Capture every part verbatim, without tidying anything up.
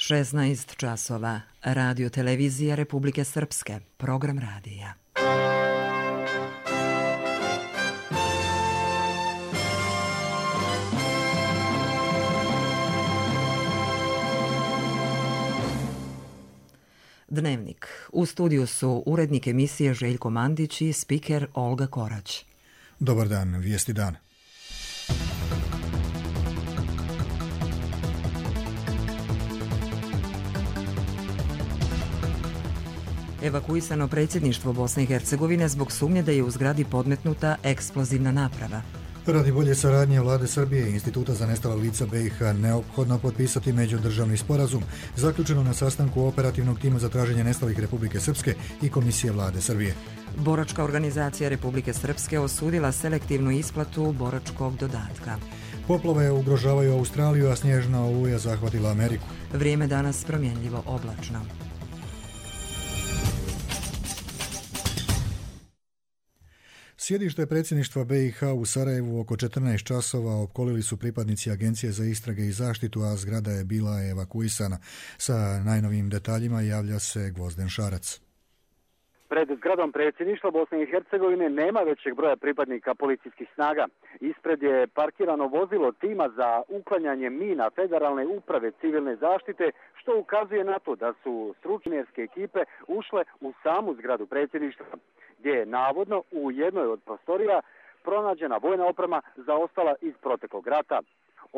šesnaest časova. Radio televizija Republike Srpske. Program radija. Dnevnik. U studiju su urednik emisije Željko Mandić i spiker Olga Korać. Dobar dan, vijesti dan. Evakuisano predsjedništvo Bosne i Hercegovine zbog sumnje da je u zgradi podmetnuta eksplozivna naprava. Radi bolje saradnje Vlade Srbije i Instituta za nestala lica B i H neophodno potpisati međudržavni sporazum zaključeno na sastanku operativnog tima za traženje nestalih Republike Srpske i Komisije Vlade Srbije. Boračka organizacija Republike Srpske osudila selektivnu isplatu boračkog dodatka. Poplave ugrožavaju Australiju, a snježna oluja zahvatila Ameriku. Vrijeme danas promjenljivo oblačno. Sjedište predsjedništva B i H u Sarajevu oko četrnaest časova opkolili su pripadnici Agencije za istrage i zaštitu, a zgrada je bila evakuisana. Sa najnovijim detaljima javlja se Gvozden Šarac. Pred zgradom predsjedništva Bosne i Hercegovine nema većeg broja pripadnika policijskih snaga. Ispred je parkirano vozilo tima za uklanjanje mina Federalne uprave civilne zaštite, što ukazuje na to da su stručnjačke ekipe ušle u samu zgradu predsjedništva, gdje je navodno u jednoj od prostorija pronađena vojna oprema zaostala iz proteklog rata.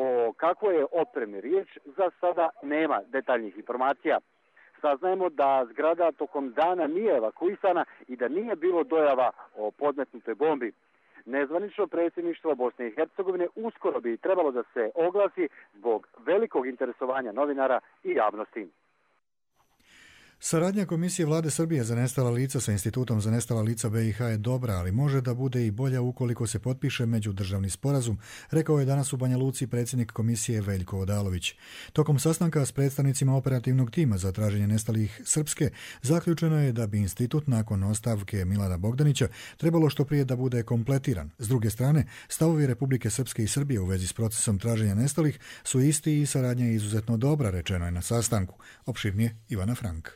O kakvoj je opremi riječ za sada nema detaljnih informacija. Saznajemo da zgrada tokom dana nije evakuisana i da nije bilo dojava o podmetnutoj bombi. Nezvanično predsjedništvo Bosne i Hercegovine uskoro bi trebalo da se oglasi zbog velikog interesovanja novinara i javnosti. Saradnja Komisije Vlade Srbije za nestala lica sa Institutom za nestala lica B i H je dobra, ali može da bude i bolja ukoliko se potpiše međudržavni sporazum, rekao je danas u Banja Luci predsjednik Komisije Veljko Odalović. Tokom sastanka s predstavnicima operativnog tima za traženje nestalih Srpske zaključeno je da bi institut nakon ostavke Milana Bogdanića trebalo što prije da bude kompletiran. S druge strane, stavovi Republike Srpske i Srbije u vezi s procesom traženja nestalih su isti i saradnja je izuzetno dobra, rečeno je na sastanku. Opširnije Ivana Frank.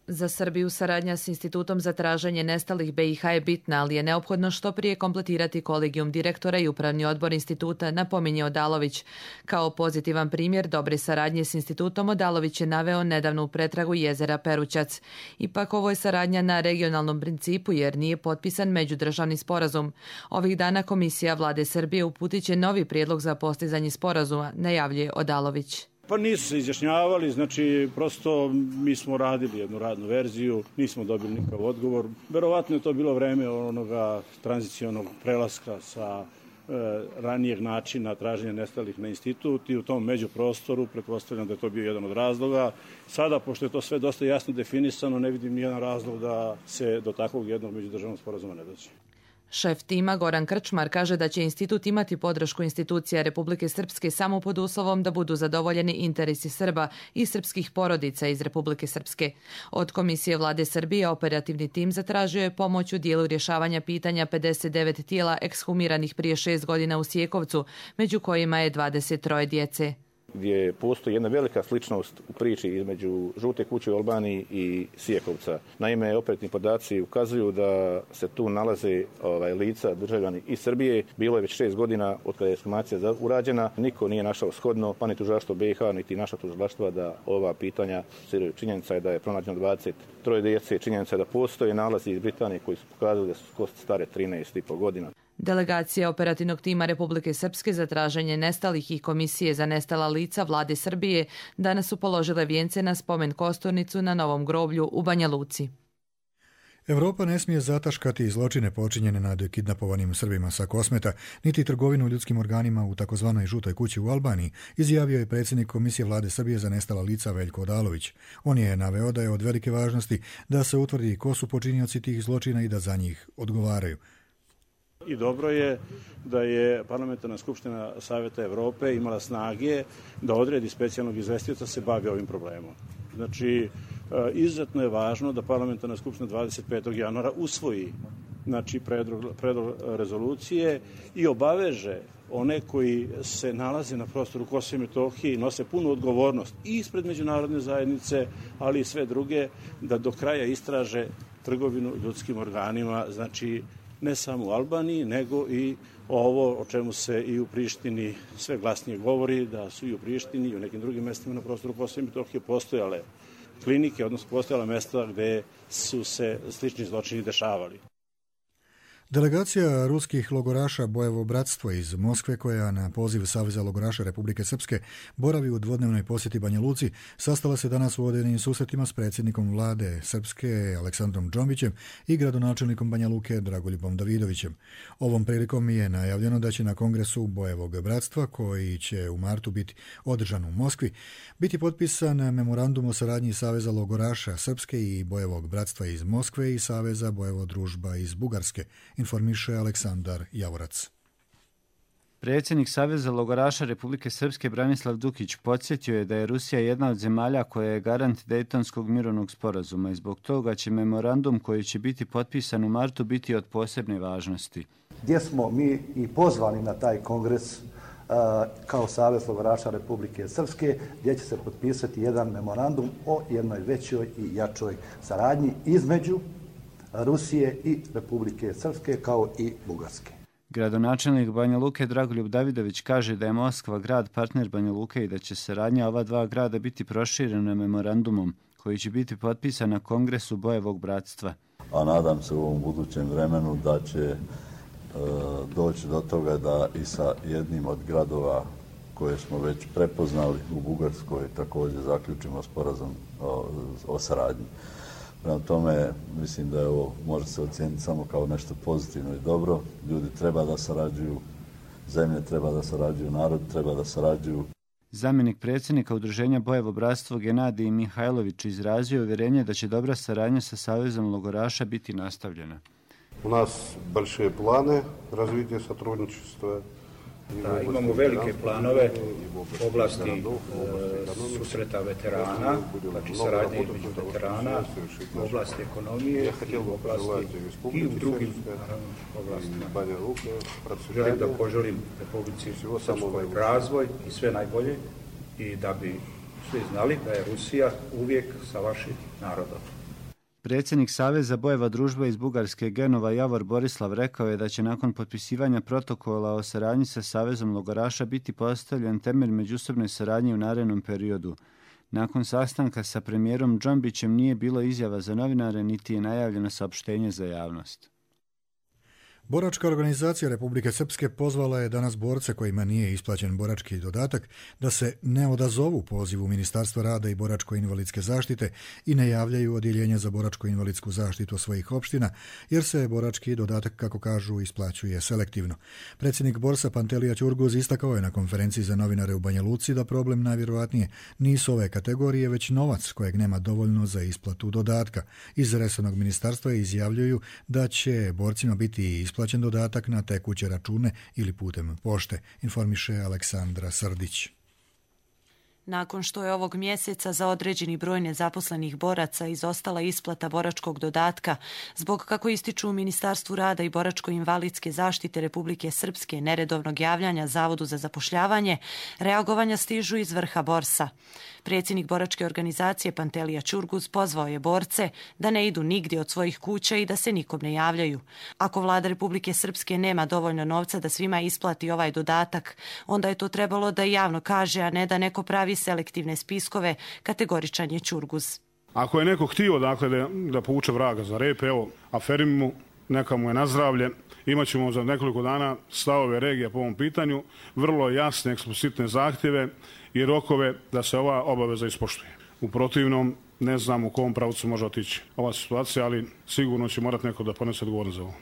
Za Srbiju saradnja s Institutom za traženje nestalih B i H je bitna, ali je neophodno što prije kompletirati kolegijum direktora i upravni odbor instituta, napominje Odalović. Kao pozitivan primjer dobre saradnje s institutom Odalović je naveo nedavnu pretragu jezera Perućac. Ipak ovo je saradnja na regionalnom principu jer nije potpisan međudržavni sporazum. Ovih dana Komisija Vlade Srbije uputit će novi prijedlog za postizanje sporazuma, najavljuje Odalović. Pa nisu se izjašnjavali, znači prosto mi smo radili jednu radnu verziju, nismo dobili nikakav odgovor. Verovatno je to bilo vreme onoga tranzicionog prelaska sa e, ranijeg načina traženja nestalih na institut i u tom međuprostoru pretpostavljam da je to bio jedan od razloga. Sada, pošto je to sve dosta jasno definisano, ne vidim nijedan razlog da se do takvog jednog međudržavnog sporazuma ne dođe. Šef tima Goran Krčmar kaže da će institut imati podršku institucija Republike Srpske samo pod uslovom da budu zadovoljeni interesi Srba i srpskih porodica iz Republike Srpske. Od Komisije Vlade Srbije operativni tim zatražio je pomoć u dijelu rješavanja pitanja pedeset devet tijela ekshumiranih prije šest godina u Sjekovcu, među kojima je dvadeset troje djece. Gdje postoji jedna velika sličnost u priči između Žute kuće u Albaniji i Sjekovca. Naime, operativni podaci ukazuju da se tu nalaze ovaj, lica državljani iz Srbije. Bilo je već šest godina od kada je ekshumacija urađena. Niko nije našao shodno, pa ni tužilaštvo B i H, niti naša tužilaštva da ova pitanja siraju. Činjenica je da je pronađeno dvadeset troje djece. Činjenica je da postoje nalazi iz Britanije koji su pokazali da su kosti stare trinaest i po godina. Delegacija operativnog tima Republike Srpske za traženje nestalih i Komisije za nestala lica Vlade Srbije danas su položile vijence na spomen kosturnicu na Novom groblju u Banja Luci. Europa ne smije zataškati zločine počinjene nad kidnapovanim Srbima sa Kosmeta, niti trgovinu ljudskim organima u takozvanoj Žutoj kući u Albaniji, izjavio je predsjednik Komisije Vlade Srbije za nestala lica Veljko Odalović. On je naveo da je od velike važnosti da se utvrdi ko su počinioci tih zločina i da za njih odgovaraju. I dobro je da je Parlamentarna skupština Savjeta Evrope imala snage da odredi specijalnog izvestioca se bavi ovim problemom. Znači, izuzetno je važno da Parlamentarna skupština dvadeset petog januara usvoji znači predlog, predlog rezolucije i obaveže one koji se nalaze na prostoru Kosova i Metohije i nose punu odgovornost i ispred međunarodne zajednice, ali i sve druge, da do kraja istraže trgovinu ljudskim organima, znači ne samo u Albaniji, nego i ovo o čemu se i u Prištini sve glasnije govori, da su i u Prištini i u nekim drugim mestima na prostoru Kosova i Metohije postojale klinike, odnosno postojala mesta gde su se slični zločini dešavali. Delegacija ruskih logoraša Bojevo bratstvo iz Moskve, koja na poziv Saveza logoraša Republike Srpske boravi u dvodnevnoj posjeti Banja Luci, sastala se danas u vodenim susretima s predsjednikom vlade Srpske Aleksandrom Džombićem i gradonačelnikom Banja Luke Dragoljubom Davidovićem. Ovom prilikom je najavljeno da će na kongresu Bojevog bratstva, koji će u martu biti održan u Moskvi, biti potpisan memorandum o saradnji Saveza logoraša Srpske i Bojevog bratstva iz Moskve i Saveza Bojevo družba iz Bugarske, informiše Aleksandar Javorac. Predsjednik Saveza logoraša Republike Srpske Branislav Dukić podsjetio je da je Rusija jedna od zemalja koja je garant Dejtonskog mirovnog sporazuma i zbog toga će memorandum koji će biti potpisan u martu biti od posebne važnosti. Gdje smo mi i pozvani na taj kongres kao Savez logoraša Republike Srpske, gdje će se potpisati jedan memorandum o jednoj većoj i jačoj saradnji između Rusije i Republike Srpske kao i Bugarske. Gradonačelnik Banja Luke Dragoljub Davidović kaže da je Moskva grad partner Banja Luke i da će saradnja ova dva grada biti proširena memorandumom koji će biti potpisan na kongresu Bojevog bratstva. A nadam se u ovom budućem vremenu da će e, doći do toga da i sa jednim od gradova koje smo već prepoznali u Bugarskoj također zaključimo sporazum o, o saradnji. Prema tome, mislim da je ovo može se ocijeniti samo kao nešto pozitivno i dobro. Ljudi treba da sarađuju, zemlje treba da sarađuju, narod treba da sarađuju. Zamjenik predsjednika udruženja Bojevo bratstvo Genadij Mihajlović izrazio uvjerenje da će dobra saradnja sa Savezom logoraša biti nastavljena. U nas большие plane razvitje сотрудничества. Da, imamo velike planove u oblasti e, susreta veterana, znači saradnje između veterana, u oblasti ekonomije i u oblasti i u drugim naravno, oblastima. Želim da poželim Republici Srpskoj razvoj i sve najbolje i da bi svi znali da je Rusija uvijek sa vašim narodom. Predsjednik Saveza Bojeva družba iz Bugarske Genova Javor Borislav rekao je da će nakon potpisivanja protokola o saradnji sa Savezom logoraša biti postavljen temelj međusobne saradnje u narednom periodu. Nakon sastanka sa premijerom Džombićem nije bilo izjava za novinare niti je najavljeno saopštenje za javnost. Boračka organizacija Republike Srpske pozvala je danas borce kojima nije isplaćen borački dodatak da se ne odazovu pozivu Ministarstva rada i boračko-invalidske zaštite i ne javljaju odjeljenja za boračko-invalidsku zaštitu svojih opština, jer se borački dodatak, kako kažu, isplaćuje selektivno. Predsjednik Borsa Pantelija Ćurguz istakao je na konferenciji za novinare u Banja Luci da problem najvjerojatnije nisu ove kategorije, već novac kojeg nema dovoljno za isplatu dodatka. Iz resornog ministarstva izjavljuju da će borcima biti isplaćen dodatak na tekuće račune ili putem pošte, informiše Aleksandra Srdić. Nakon što je ovog mjeseca za određeni broj nezaposlenih boraca izostala isplata boračkog dodatka, zbog, kako ističu u Ministarstvu rada i boračko-invalidske zaštite Republike Srpske, neredovnog javljanja Zavodu za zapošljavanje, reagovanja stižu iz vrha Borsa. Predsjednik boračke organizacije Pantelija Ćurguz pozvao je borce da ne idu nigdje od svojih kuća i da se nikom ne javljaju. Ako vlada Republike Srpske nema dovoljno novca da svima isplati ovaj dodatak, onda je to trebalo da javno kaže, a ne da neko pravi selektivne spiskove, kategoričan je Ćurguz. Ako je neko htio dakle, da, da povuče vraga za rep, evo, aferim mu, neka mu je nazdravlje, imat ćemo za nekoliko dana stavove regija po ovom pitanju, vrlo jasne, eksplicitne zahtjeve i rokove da se ova obaveza ispoštuje. U protivnom, ne znam u kom pravcu može otići ova situacija, ali sigurno će morati neko da ponese odgovornost za ovo.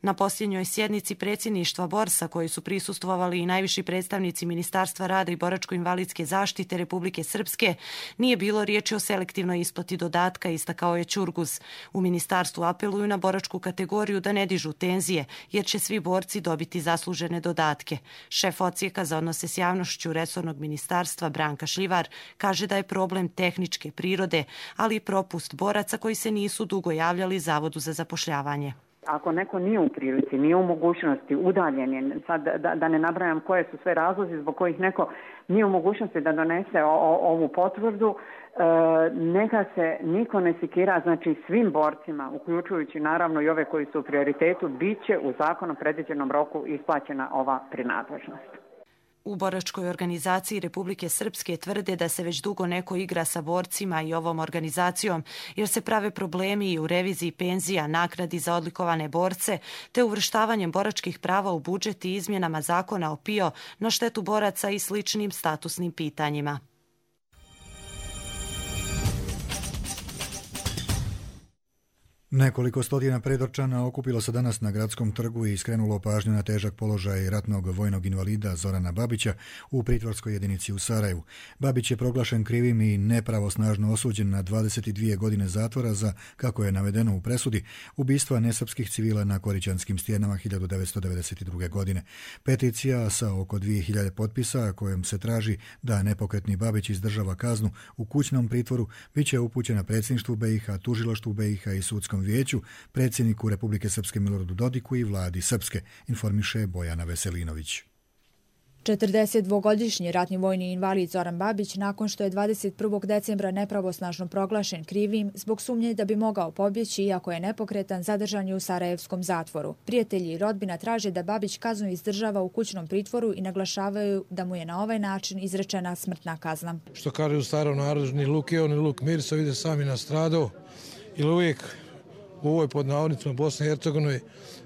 Na posljednjoj sjednici predsjedništva Borsa, koji su prisustvovali i najviši predstavnici Ministarstva rada i boračko-invalidske zaštite Republike Srpske, nije bilo riječi o selektivnoj isplati dodatka, istakao je Ćurguz. U ministarstvu apeluju na boračku kategoriju da ne dižu tenzije, jer će svi borci dobiti zaslužene dodatke. Šef odsjeka za odnose s javnošću resornog ministarstva Branka Šljivar kaže da je problem tehničke prirode, ali i propust boraca koji se nisu dugo javljali Zavodu za zapošljavanje. Ako neko nije u prilici, nije u mogućnosti, udaljen je, sad da, da ne nabrajam koje su sve razlozi zbog kojih neko nije u mogućnosti da donese o, o, ovu potvrdu, e, neka se niko ne sikira, znači svim borcima, uključujući naravno i ove koji su u prioritetu, bit će u zakonom predviđenom roku isplaćena ova prinadležnost. U boračkoj organizaciji Republike Srpske tvrde da se već dugo neko igra sa borcima i ovom organizacijom, jer se prave problemi i u reviziji penzija, nagradi za odlikovane borce, te uvrštavanjem boračkih prava u budžet i izmjenama zakona o P I O na štetu boraca i sličnim statusnim pitanjima. Nekoliko stotina predorčana okupilo se danas na Gradskom trgu i skrenulo pažnju na težak položaj ratnog vojnog invalida Zorana Babića u pritvorskoj jedinici u Sarajevu. Babić je proglašen krivim i nepravosnažno osuđen na dvadeset dvije godine zatvora za, kako je navedeno u presudi, ubistva nesrpskih civila na Korićanskim stijenama hiljadu devetsto devedeset druge. godine. Peticija sa oko dvije hiljade potpisa kojom se traži da nepokretni Babić izdržava kaznu u kućnom pritvoru bit će upućena predsjedništvu B i H, tužilaštvu B i H i sudskom vijeću, predsjedniku Republike Srpske Miloradu Dodiku i vladi Srpske, informiše Bojana Veselinović. četrdesetdvogodišnji ratni vojni invalid Zoran Babić, nakon što je dvadeset prvog decembra nepravosnažno proglašen krivim zbog sumnje da bi mogao pobjeći iako je nepokretan, zadržan je u sarajevskom zatvoru. Prijatelji i rodbina traže da Babić kaznu izdržava u kućnom pritvoru i naglašavaju da mu je na ovaj način izrečena smrtna kazna. Što kaže u starom narodu, ni luk jeo, ni luk mirso, ide sami nastradao, ili uvijek u ovoj pod navodnicima Bosne i Hercegovine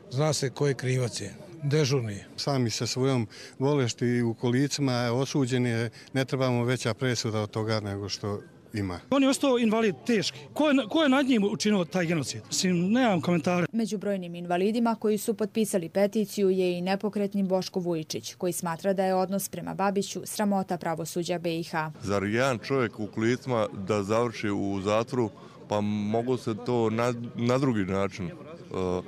zna se ko je krivac je. Dežurni. Sami sa svojom bolešti u kolicima osuđeni, ne trebamo veća presuda od toga nego što ima. On je ostao invalid teški. Ko je, ko je nad njim učinio taj genocid? Mislim, nemam komentare. Među brojnim invalidima koji su potpisali peticiju je i nepokretni Boško Vujičić, koji smatra da je odnos prema Babiću sramota pravosuđa B i H. Zar jedan čovjek u kolicima da završi u zatvoru, pa mogu se to na, na drugi način uh,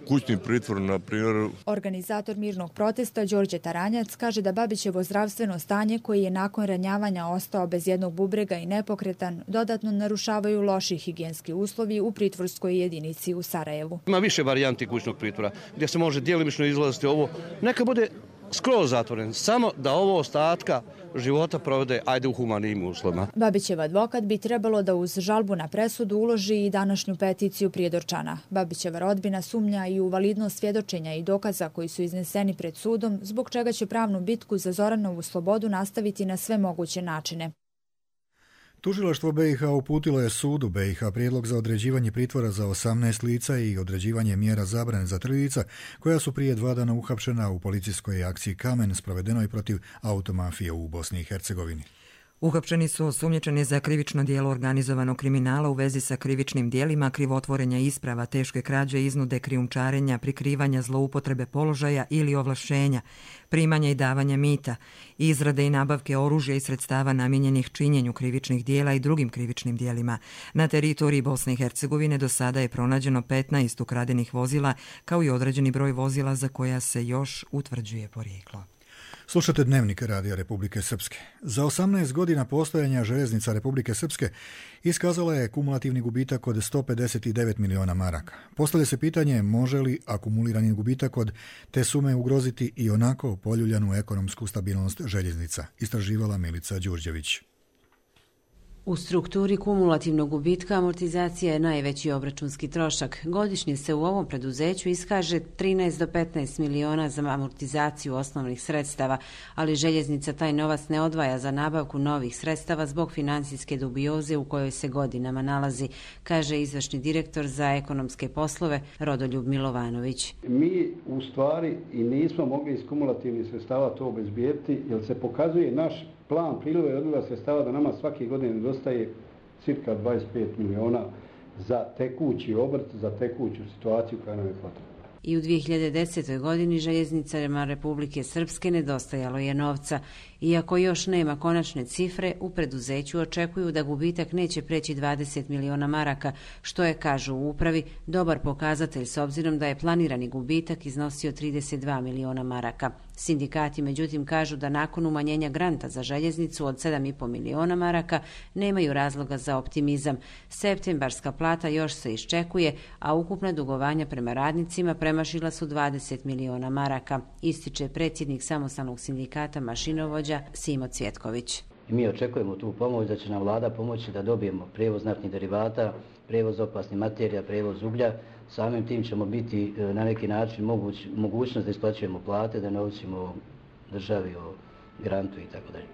kućni pritvor, na primjer. Organizator mirnog protesta Đorđe Taranjac kaže da Babićevo zdravstveno stanje, koji je nakon ranjavanja ostao bez jednog bubrega i nepokretan, dodatno narušavaju loši higijenski uslovi u pritvorskoj jedinici u Sarajevu. Ima više varijanti kućnog pritvora gdje se može djelimično izlaziti ovo. Neka bude skroz zatvoren, samo da ovo ostatka života provede ajde u humanim uslovima. Babićev advokat bi trebalo da uz žalbu na presudu uloži i današnju peticiju prijedorčana. Babićeva rodbina sumnja i u validnost svjedočenja i dokaza koji su izneseni pred sudom, zbog čega će pravnu bitku za Zoranovu slobodu nastaviti na sve moguće načine. Tužilaštvo B i H uputilo je sudu B i H prijedlog za određivanje pritvora za osamnaest lica i određivanje mjera zabrane za tri lica koja su prije dva dana uhapšena u policijskoj akciji Kamen sprovedenoj protiv automafije u Bosni i Hercegovini. Uhapšeni su osumnjičeni za krivično djelo organizovanog kriminala u vezi sa krivičnim djelima krivotvorenja isprava, teške krađe, iznude, krijumčarenja, prikrivanja zloupotrebe položaja ili ovlašćenja, primanja i davanja mita, izrade i nabavke oružja i sredstava namijenjenih činjenju krivičnih djela i drugim krivičnim djelima. Na teritoriji Bosne i Hercegovine do sada je pronađeno petnaest ukradenih vozila, kao i određeni broj vozila za koja se još utvrđuje porijeklo. Slušate Dnevnik Radija Republike Srpske. Za osamnaest godina postojanja željeznica Republike Srpske iskazala je kumulativni gubitak od sto pedeset devet miliona maraka. Postavlja se pitanje može li akumulirani gubitak od te sume ugroziti i onako poljuljanu ekonomsku stabilnost željeznica, istraživala Milica Đurđević. U strukturi kumulativnog gubitka amortizacija je najveći obračunski trošak. Godišnje se u ovom preduzeću iskaže trinaest do petnaest miliona za amortizaciju osnovnih sredstava, ali željeznica taj novac ne odvaja za nabavku novih sredstava zbog financijske dubioze u kojoj se godinama nalazi, kaže izvršni direktor za ekonomske poslove Rodoljub Milovanović. Mi u stvari i nismo mogli iz kumulativnih sredstava to obezbijediti, jer se pokazuje naš plan priliva i odliva sredstava da nama svake godine nedostaje cirka dvadeset pet miliona za tekući obrt, za tekuću situaciju koja nam je potrebna. I u dvije hiljade desetoj. godini željeznicama Republike Srpske nedostajalo je novca. Iako još nema konačne cifre, u preduzeću očekuju da gubitak neće preći dvadeset miliona maraka, što je, kažu u upravi, dobar pokazatelj s obzirom da je planirani gubitak iznosio trideset dva miliona maraka. Sindikati, međutim, kažu da nakon umanjenja granta za željeznicu od sedam i po miliona maraka nemaju razloga za optimizam. Septembarska plata još se iščekuje, a ukupna dugovanja prema radnicima premašila su dvadeset miliona maraka, ističe predsjednik samostalnog sindikata mašinovođa Simo Cvjetković. I mi očekujemo tu pomoć, da će nam vlada pomoći da dobijemo prijevoz naftnih derivata, prijevoz opasnih materija, prijevoz uglja. Samim tim ćemo biti na neki način moguć, mogućnost da isplaćujemo plate, da ne ovisimo državi o grantu i tako dalje.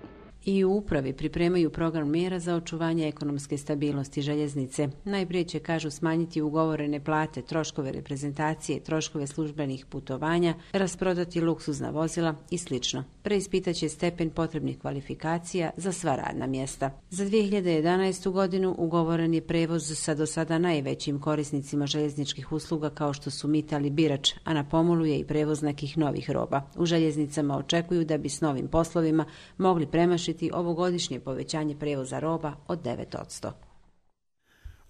I u upravi pripremaju program mjera za očuvanje ekonomske stabilnosti željeznice. Najprije će, kažu, smanjiti ugovorene plate, troškove reprezentacije, troškove službenih putovanja, rasprodati luksuzna vozila i sl. Preispitaće stepen potrebnih kvalifikacija za sva radna mjesta. Za dvije hiljade jedanaestu. godinu ugovoren je prevoz sa do sada najvećim korisnicima željezničkih usluga kao što su Mital i Birač, a na pomolu je i prevoz nekih novih roba. U željeznicama očekuju da bi s novim poslovima mogli premašiti ovogodišnje povećanje prevoza roba od devet posto.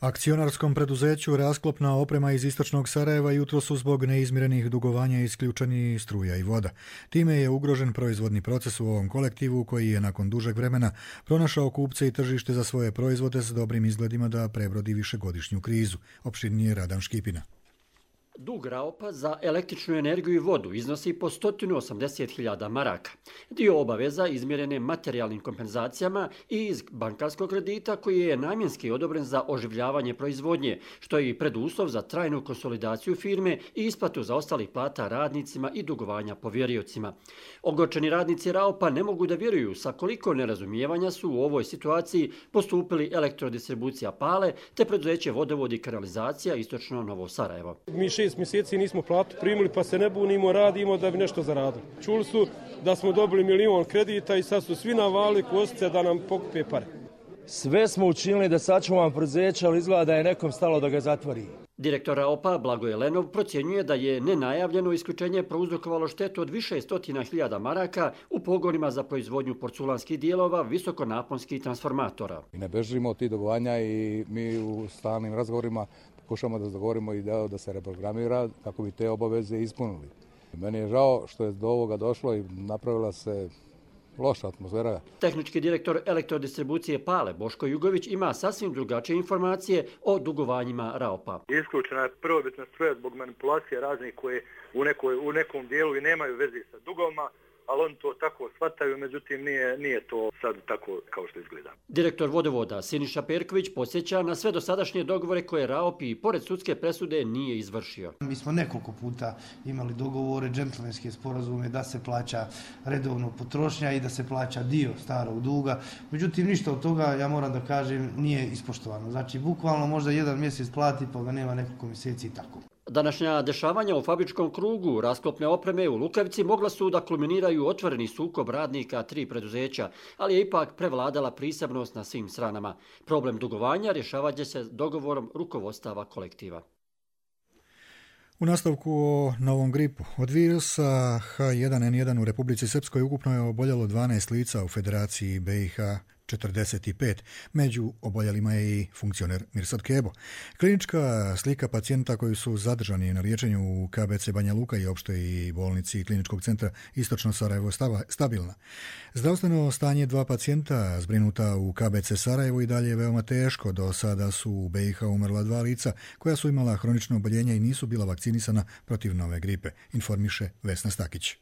Akcionarskom preduzeću Rasklopna oprema iz istočnog Sarajeva jutro su zbog neizmirenih dugovanja isključeni struja i voda. Time je ugrožen proizvodni proces u ovom kolektivu koji je nakon dužeg vremena pronašao kupce i tržište za svoje proizvode s dobrim izgledima da prebrodi višegodišnju krizu. Opširnije Radan Škipina. Dug Raopa za električnu energiju i vodu iznosi po sto osamdeset hiljada maraka. Dio obaveza izmjerene materijalnim kompenzacijama i iz bankarskog kredita koji je namjenski odobren za oživljavanje proizvodnje, što je i preduslov za trajnu konsolidaciju firme i isplatu zaostalih plata radnicima i dugovanja povjeriocima. Ogorčeni radnici Raopa ne mogu da vjeruju sa koliko nerazumijevanja su u ovoj situaciji postupili Elektrodistribucija Pale te preduzeće Vodovod i kanalizacija Istočno Novo Sarajevo. Mi šest mjeseci nismo platu primili, pa se ne bunimo, radimo da bi nešto zaradili. Čuli su da smo dobili milion kredita i sad su svi navali kosice da nam pokupe pare. Sve smo učinili da sačuvamo preduzeće, ali izgleda da je nekom stalo da ga zatvori. Direktor Raopa Blagoje Lenov procjenjuje da je nenajavljeno isključenje prouzrokovalo štetu od više stotina hiljada maraka u pogonima za proizvodnju porculanskih dijelova visokonaponskih transformatora. I ne bežimo od tih dugovanja i mi u stalnim razgovorima pokušamo da dogovorimo i da, da se reprogramira kako bi te obaveze ispunili. Meni je žao što je do ovoga došlo i napravila se loša atmosfera. Tehnički direktor Elektrodistribucije Pale Boško Jugović ima sasvim drugačije informacije o dugovanjima Raopa. Isključena je prvobitna struja zbog manipulacije raznih koje u, nekoj, u nekom dijelu i nemaju veze sa dugovima, ali oni to tako shvataju, međutim nije, nije to sad tako kao što izgleda. Direktor Vodovoda Siniša Perković podsjeća na sve dosadašnje dogovore koje Raop i pored sudske presude nije izvršio. Mi smo nekoliko puta imali dogovore, džentlmenske sporazume da se plaća redovno potrošnja i da se plaća dio starog duga. Međutim, ništa od toga, ja moram da kažem, nije ispoštovano. Znači, bukvalno možda jedan mjesec plati pa ga nema nekoliko mjeseci i tako. Današnja dešavanja u fabričkom krugu rasklopne opreme u Lukavici mogla su da kulminiraju otvoreni sukob radnika tri preduzeća, ali je ipak prevladala prisebnost na svim stranama. Problem dugovanja rješavaće se dogovorom rukovodstava kolektiva. U nastavku o novom gripu. Od virusa H jedan N jedan u Republici Srpskoj ukupno je oboljelo dvanaest lica, u Federaciji B i H četrdeset pet. Među oboljelima je i funkcioner Mirsad Kebo. Klinička slika pacijenta koji su zadržani na liječenju u K B C Banja Luka i opštoj bolnici Kliničkog centra Istočno Sarajevo stabilna. Zdravstveno stanje dva pacijenta zbrinuta u K B C Sarajevo i dalje je veoma teško. Do sada su u B i H umrla dva lica koja su imala hronično oboljenje i nisu bila vakcinisana protiv nove gripe, informiše Vesna Stakić.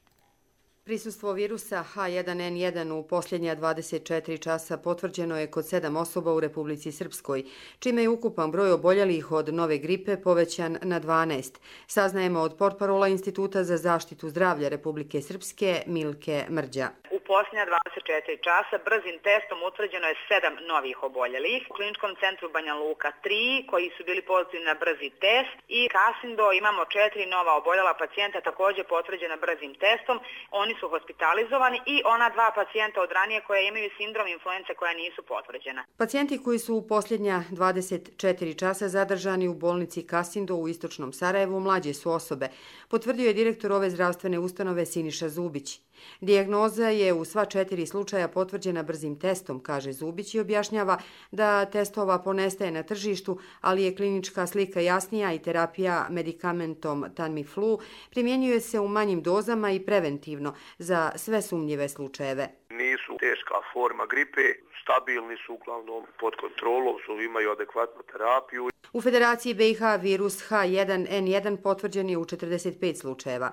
Prisustvo virusa H jedan N jedan u posljednja dvadeset četiri časa potvrđeno je kod sedam osoba u Republici Srpskoj, čime je ukupan broj oboljelih od nove gripe povećan na dvanaest. Saznajemo od portparola Instituta za zaštitu zdravlja Republike Srpske Milke Mrđa. U posljednja dvadeset četiri časa brzim testom utvrđeno je sedam novih oboljelih. U kliničkom centru Banja Luka tri koji su bili pozitivni na brzi test i Kasindo imamo četiri nova oboljela pacijenta također potvrđena brzim testom. Oni su hospitalizovani i ona dva pacijenta od ranije koje imaju sindrom influence koja nisu potvrđena. Pacijenti koji su u posljednja dvadeset četiri časa zadržani u bolnici Kasindo u istočnom Sarajevu mlađe su osobe, potvrdio je direktor ove zdravstvene ustanove Siniša Zubić. Dijagnoza je u sva četiri slučaja potvrđena brzim testom, kaže Zubić i objašnjava da testova ponestaje na tržištu, ali je klinička slika jasnija i terapija medikamentom Tamiflu primjenjuje se u manjim dozama i preventivno za sve sumnjive slučajeve. Nisu teška forma gripe, stabilni su uglavnom pod kontrolom, su imaju adekvatnu terapiju. U Federaciji B i H virus H jedan N jedan potvrđen je u četrdeset pet slučajeva.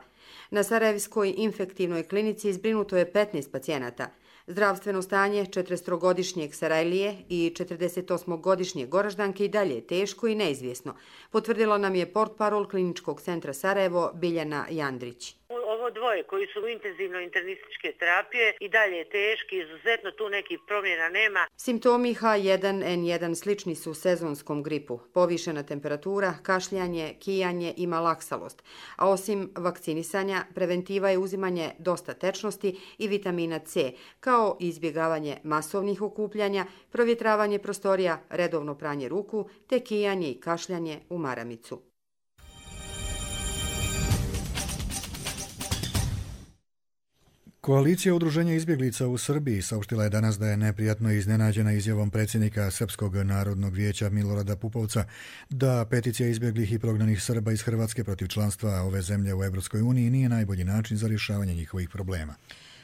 Na Sarajevskoj infektivnoj klinici zbrinuto je petnaest pacijenata. Zdravstveno stanje četrdesetogodišnjeg Sarajlije i četrdesetosmogodišnje Goraždanke i dalje je teško i neizvjesno, potvrdila nam je portparol Kliničkog centra Sarajevo Biljana Jandrić. Ovo dvoje koji su u intenzivnoj internističke terapije i dalje je teški, izuzetno tu nekih promjena nema. Simptomi H jedan N jedan slični su sezonskom gripu, povišena temperatura, kašljanje, kijanje i malaksalost, a osim vakcinisanja, preventiva je uzimanje dosta tečnosti i vitamina C, kao izbjegavanje masovnih okupljanja, provjetravanje prostorija, redovno pranje ruku, te kijanje i kašljanje u maramicu. Koalicija udruženja izbjeglica u Srbiji saopštila je danas da je neprijatno iznenađena izjavom predsjednika Srpskog narodnog vijeća Milorada Pupovca da peticija izbjeglih i prognanih Srba iz Hrvatske protiv članstva ove zemlje u Europskoj uniji nije najbolji način za rješavanje njihovih problema.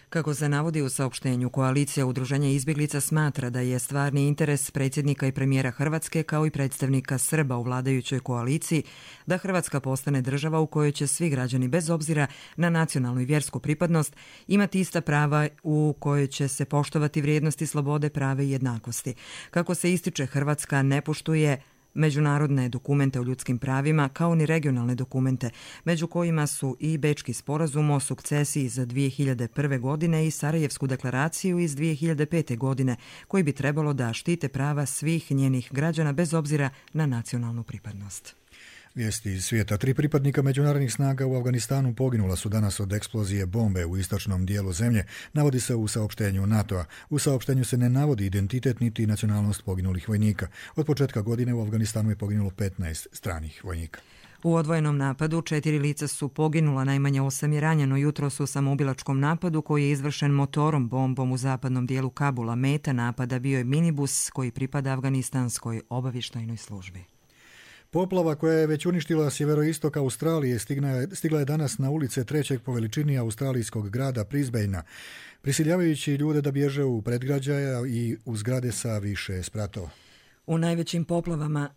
Kako se navodi u saopštenju, koalicija udruženja izbjeglica smatra da je stvarni interes predsjednika i premijera Hrvatske kao i predstavnika Srba u vladajućoj koaliciji da Hrvatska postane država u kojoj će svi građani bez obzira na nacionalnu i vjersku pripadnost imati ista prava, u kojoj će se poštovati vrijednosti slobode, prave i jednakosti. Kako se ističe, Hrvatska ne poštuje međunarodne dokumente o ljudskim pravima kao ni regionalne dokumente, među kojima su i Bečki sporazum o sukcesiji za dvije hiljade prve. godine i Sarajevsku deklaraciju iz dvije hiljade pete. godine, koji bi trebalo da štite prava svih njenih građana bez obzira na nacionalnu pripadnost. Vijesti iz svijeta. Tri pripadnika međunarodnih snaga u Afganistanu poginula su danas od eksplozije bombe u istočnom dijelu zemlje, navodi se u saopštenju NATO-a. U saopštenju se ne navodi identitet niti nacionalnost poginulih vojnika. Od početka godine u Afganistanu je poginulo petnaest stranih vojnika. U odvojenom napadu četiri lica su poginula, najmanje osam je ranjeno jutros u samoubilačkom napadu koji je izvršen motorom bombom u zapadnom dijelu Kabula. Meta napada bio je minibus koji pripada Afganistanskoj obavještajnoj službi. Poplava koja je već uništila sjeveroistok Australije stigla je danas na ulice trećeg po veličini australijskog grada Brisbanea, prisiljavajući ljude da bježe u predgrađaja i u zgrade sa više spratova. U najvećim poplavama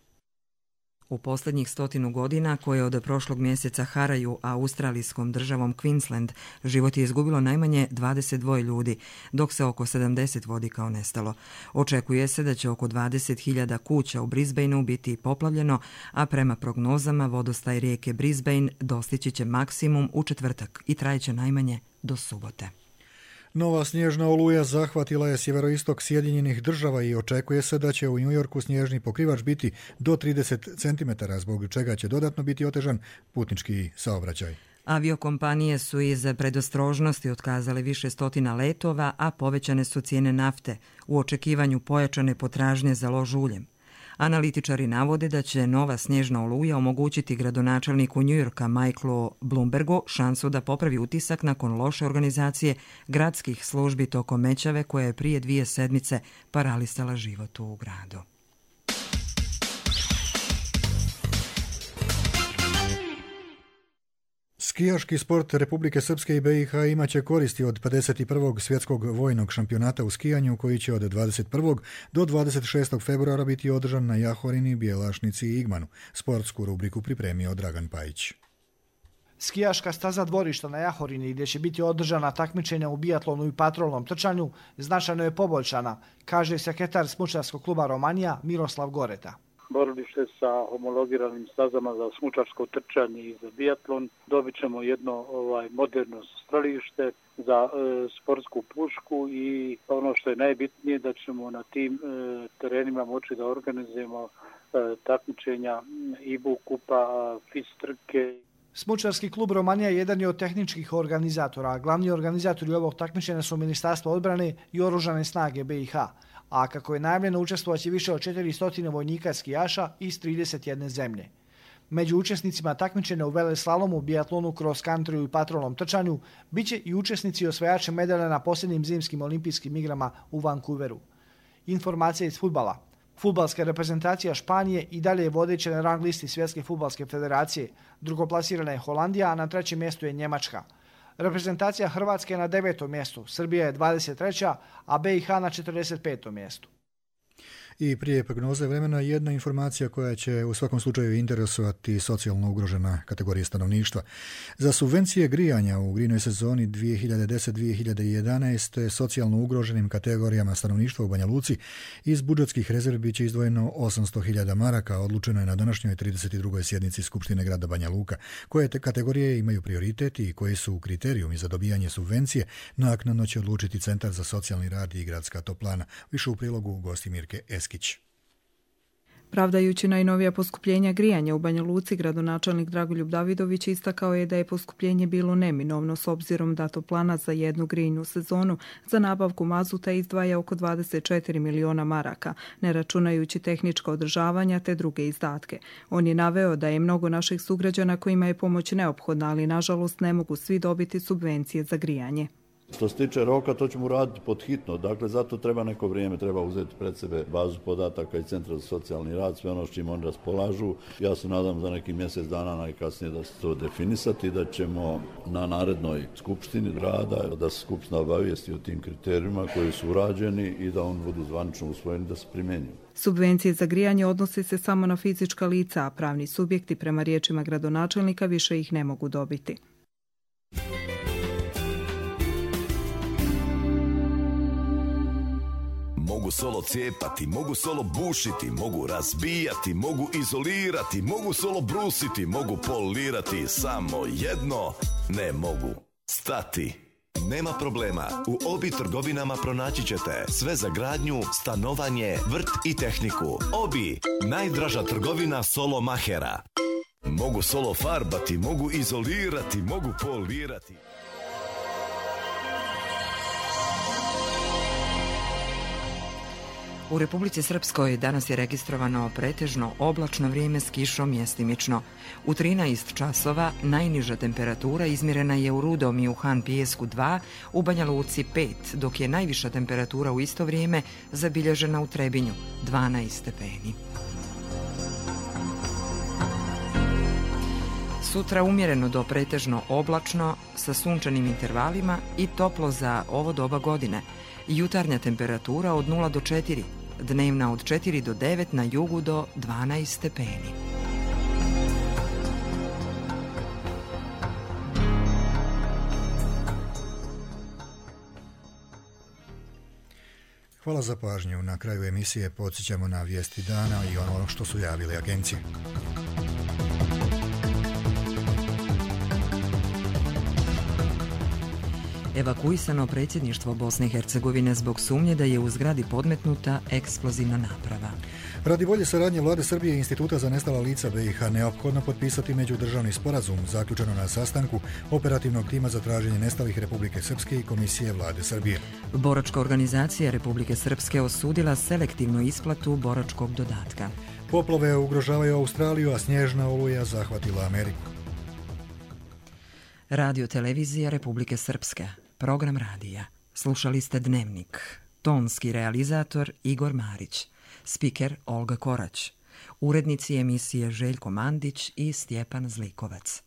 u posljednjih stotinu godina, koje od prošlog mjeseca haraju australijskom državom Queensland, život je izgubilo najmanje dvadeset dva ljudi, dok se oko sedamdeset vodi kao nestalo. Očekuje se da će oko dvadeset hiljada kuća u Brisbaneu biti poplavljeno, a prema prognozama vodostaj rijeke Brisbane dostići će maksimum u četvrtak i trajeće najmanje do subote. Nova snježna oluja zahvatila je sjeveroistok Sjedinjenih država i očekuje se da će u New Yorku snježni pokrivač biti do trideset centimetara, zbog čega će dodatno biti otežan putnički saobraćaj. Aviokompanije su iz predostrožnosti otkazale više stotina letova, a povećane su cijene nafte u očekivanju pojačane potražnje za lož uljem. Analitičari navode da će nova snježna oluja omogućiti gradonačelniku New Yorka Michaelu Bloombergu šansu da popravi utisak nakon loše organizacije gradskih službi tokom mećave koja je prije dvije sedmice paralisala život u gradu. Skijaški sport Republike Srpske i B i H imaće koristi od pedeset prvog svjetskog vojnog šampionata u skijanju koji će od dvadeset prvog do dvadeset šestog februara biti održan na Jahorini, Bjelašnici i Igmanu. Sportsku rubriku pripremio Dragan Pajić. Skijaška staza dvorišta na Jahorini, gdje će biti održana takmičenja u bijatlonu i patrolnom trčanju, značajno je poboljšana, kaže sekretar smučarskog kluba Romanija Miroslav Goreta. borilište sa homologiranim stazama za smučarsko trčanje i za biatlon. Dobit ćemo jedno ovaj, moderno strelište za e, sportsku pušku i ono što je najbitnije da ćemo na tim e, terenima moći da organizujemo e, takmičenja I B U kupa, FIS trke. Smučarski klub Romanija jedan je od tehničkih organizatora. Glavni organizatori ovog takmičenja su Ministarstvo odbrane i Oružane snage B I H, a kako je najavljeno učestvovaće više od četiristo vojnika skijaša iz trideset jedne zemlje. Među učesnicima takmičenja u veleslalomu, biatlonu, cross country i patrolnom trčanju biće i učesnici osvajači medalja na posljednjim zimskim olimpijskim igrama u Vancouveru. Informacija iz fudbala. Fudbalska reprezentacija Španije i dalje je vodeća na rang listi Svjetske fudbalske federacije. Drugoplasirana je Holandija, a na trećem mjestu je Njemačka. Reprezentacija Hrvatske je na devetom mjestu, Srbija je dvadeset treća, a B I H na četrdeset petom mjestu. I prije prognoze vremena jedna informacija koja će u svakom slučaju interesovati socijalno ugrožena kategorija stanovništva. Za subvencije grijanja u grijnoj sezoni dvije hiljade deset dvije hiljade jedanaest socijalno ugroženim kategorijama stanovništva u Banja Luci iz budžetskih rezervi biće izdvojeno osamsto hiljada maraka, odlučeno je na današnjoj trideset drugoj sjednici Skupštine grada Banja Luka. Koje te kategorije imaju prioritet i koji su kriterijumi za dobijanje subvencije, naknadno će odlučiti Centar za socijalni rad i gradska toplana. Više u prilogu gosti Mirke Eskić. Pravdajući najnovija poskupljenja grijanja u Banja Luci, gradonačelnik Dragoljub Davidović istakao je da je poskupljenje bilo neminovno s obzirom da toplana za jednu grijnu sezonu za nabavku mazuta izdvaja oko dvadeset četiri miliona maraka, ne računajući tehnička održavanja te druge izdatke. On je naveo da je mnogo naših sugrađana kojima je pomoć neophodna, ali nažalost ne mogu svi dobiti subvencije za grijanje. Što se tiče roka, to ćemo raditi pod hitno, dakle zato treba neko vrijeme, treba uzeti pred sebe bazu podataka i Centra za socijalni rad, sve ono s čim oni raspolažu. Ja se nadam za neki mjesec dana najkasnije da se to definisati i da ćemo na narednoj skupštini grada, da se skupština obavijesti o tim kriterijima koji su urađeni i da on budu zvanično usvojeni da se primjenjuju. Subvencije za grijanje odnose se samo na fizička lica, a pravni subjekti prema riječima gradonačelnika više ih ne mogu dobiti. Mogu solo cijepati, mogu solo bušiti, mogu razbijati, mogu izolirati, mogu solo brusiti, mogu polirati, samo jedno ne mogu stati. Nema problema, u Obi trgovinama pronaći ćete sve za gradnju, stanovanje, vrt i tehniku. Obi, najdraža trgovina solo mahera. Mogu solo farbati, mogu izolirati, mogu polirati. U Republici Srpskoj danas je registrovano pretežno oblačno vrijeme s kišom mjestimično. U trinaest časova najniža temperatura izmjerena je u Rudom i u Han Pijesku dva, u Banja Luci pet, dok je najviša temperatura u isto vrijeme zabilježena u Trebinju dvanaest stepeni. Sutra umjereno do pretežno oblačno sa sunčanim intervalima i toplo za ovo doba godine. Jutarnja temperatura od nula do četiri, dnevna od četiri do devet, na jugu do dvanaest stepeni. Hvala za pažnju. Na kraju emisije podsjećamo na vijesti dana i ono što su javile agencije. Evakuisano predsjedništvo Bosne i Hercegovine zbog sumnje da je u zgradi podmetnuta eksplozivna naprava. Radi bolje saradnje Vlade Srbije i Instituta za nestala lica B I H neophodno potpisati međudržavni sporazum zaključeno na sastanku operativnog tima za traženje nestalih Republike Srpske i Komisije Vlade Srbije. Boračka organizacija Republike Srpske osudila selektivnu isplatu boračkog dodatka. Poplave ugrožavaju Australiju, a snježna oluja zahvatila Ameriku. Radio televizija Republike Srpske. Program radija. Slušali ste Dnevnik. Tonski realizator Igor Marić. Spiker Olga Korać. Urednici emisije Željko Mandić i Stjepan Zlikovac.